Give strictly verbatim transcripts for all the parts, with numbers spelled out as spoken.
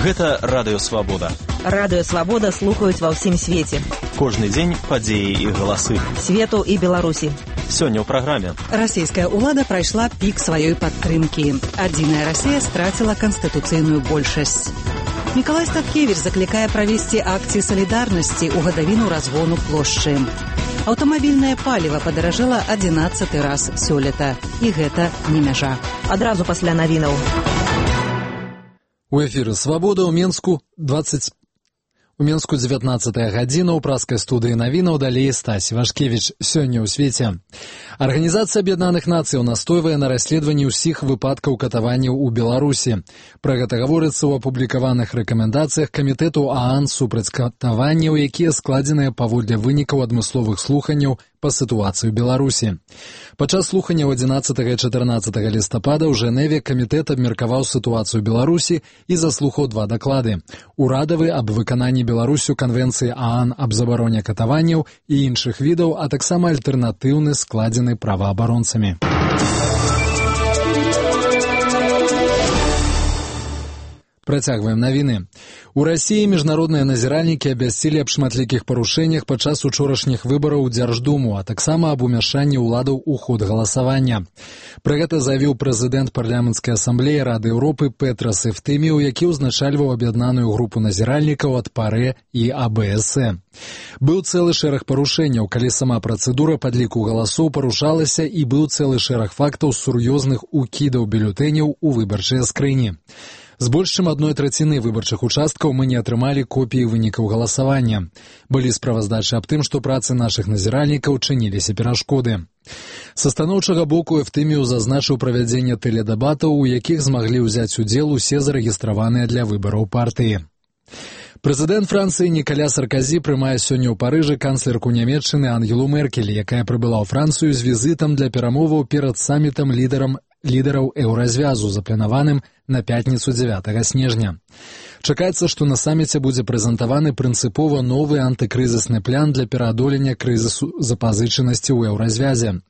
Гэта Радыё Свабода. Радыё Свабода слухаюць ва ўсім свеце. Кожны дзень падзеі і галасы Свету і Беларусі. Сёння ў праграме. Расійская ўлада прайшла пік сваёй падтрымкі. Адзіная Расія страціла канстытуцыйную большасць. Мікалай Статкевіч заклікае правесці акцыі салідарнасці ў гадавіну разгону плошчы. Аўтамабільнае паліва падаражэла адзінаццаты раз сёлета. І гэта не мяжа. Адразу пасля навінаў. У эфіры «Свабода» ў Менску двадцать... У Менску дзевятнаццатая гадзіна, ў праскай студыі навінаў далей Стась Вашкевіч. Сёння ў свеце. Арганізацыя Аб'яднаных Нацыяў настойвае на расследаванні ўсіх выпадкаў катаванняў у Беларусі. Пра гэта гаворыцца ў апублікаваных рэкамендацыях камітэту ААН супраць катаванняў, якія складзеныя паводле вынікаў адмысловых слуханняў па сітуацыі ў Беларусі. Падчас слуханняў адзінаццатага і чатырнаццатага лістапада ў Жэневе камітэт абмеркаваў сітуацыю ў Беларусі і заслухаў два даклады. Урадавы аб выкананні Беларусю канвенцыі ААН аб забароне катаванняў і іншых відаў, а таксама альтэрнатыўны, складзены праваабаронцамі. Працягваем навіны. У Расіі міжнародныя назіральнікі абвясцілі аб шматлікіх парушэннях падчас учорашніх выбараў у Дзярждуму, а таксама аб умяшанні ўладаў у ход галасавання. Пра гэта заявіў прэзідэнт парламенцкай асамблеі Рады Еўропы Петрас Эфтэміў, які ўзначальваў аб'яднаную групу назіральнікаў ад ПАРЭ і АБСЭ. Быў цэлы шэраг парушэнняў, калі сама працэдура падліку галасоў парушалася, і быў цэлы шэраг фактаў сур'ёзных укідаў бюлетэняў у выбарчыя скрыні. З больш чым адной траціны выбарчых участкаў мы не атрымалі копіі вынікаў галасавання. Былі справаздачы аб тым, што працы нашых назіральнікаў чыніліся перашкоды. Са станоўчага боку Эфтэміў зазначыў правядзенне тэледэбатаў, у якіх змаглі ўзяць удзел усе зарэгістраваныя для выбараў партыі. Прэзідэнт Францыі Нікаля Сарказі прымае сёння ў Парыжы канцлерку Нямецчыны Ангелу Меркель, якая прыбыла ў Францыю з візітам для перамоваў перад самітам лідарам лідараў еўразвязу, запланаваным на пятніцу дзевятага снежня. Чакаецца, што на саміце будзе прэзентаваны прынцыпова новы антыкрызісны план для пераадолення крызісу запазычанасці ў еўразвязе.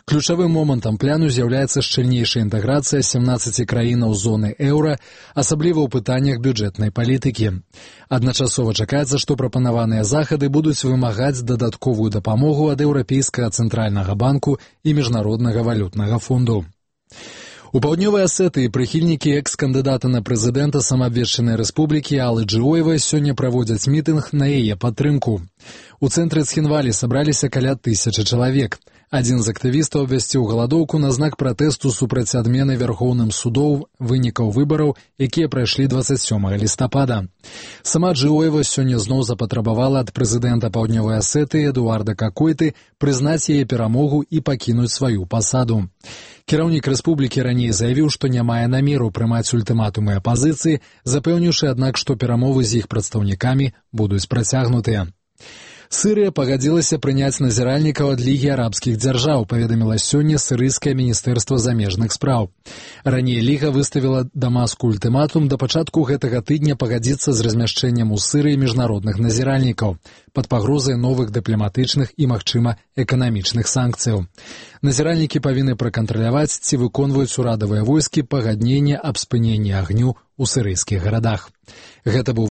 Ключавым момантам пляну з'яўляецца шчыльнейшая інтэграцыя сямнаццаці краінаў зоны еўра, асабліва ў пытаннях бюджэтнай палітыкі. Адначасова чакаецца, што прапанаваныя захады будуць вымагаць дадатковую дапамогу ад Еўрапейскага цэнтральнага банку і Міжнароднага валютнага фонду. У паўднёвай Асетыі прыхільнікі экс-кандыдата на прэзідэнта самаабвешчанай рэспублікі Аллы Джыоевай сёння праводзяць мітынг на яе падтрымку. У цэнтры Цхінвалі сабраліся каля тысячы чалавек. Адзін з актывістаў абвясціў галадоўку на знак пратэсту супраць адмены Вярхоўным судоў вынікаў выбараў, якія прайшлі дваццаць сёмага лістапада. Сама Джыоева сёння зноў запатрабавала ад прэзідэнта паўднёвай Асетыі Эдуарда Какойты прызнаць яе перамогу і пакінуць сваю пасаду. Кіраўнік рэспублікі раней заявіў, што не мае намеру прымаць ультыматумы апазіцыі, запэўніўшы, аднак, што перамовы з іх прадстаўнікамі будуць працягнутыя. Сырыя пагадзілася прыняць назіральнікаў ад Лігі арабскіх дзяржаў, паведаміла сёння сірыйскае міністэрства замежных спраў. Раней Ліга выставіла Дамаску ультыматум да пачатку гэтага тыдня пагадзіцца з размяшчэннем у Сырыі міжнародных назіральнікаў пад пагрозай новых дыпламатычных і, магчыма, эканамічных санкцыяў. Назіральнікі павінны пракантраляваць, ці выконваюць урадавыя войскі пагадненне аб спыненні агню ў сірыйскіх гарадах. Гэта быў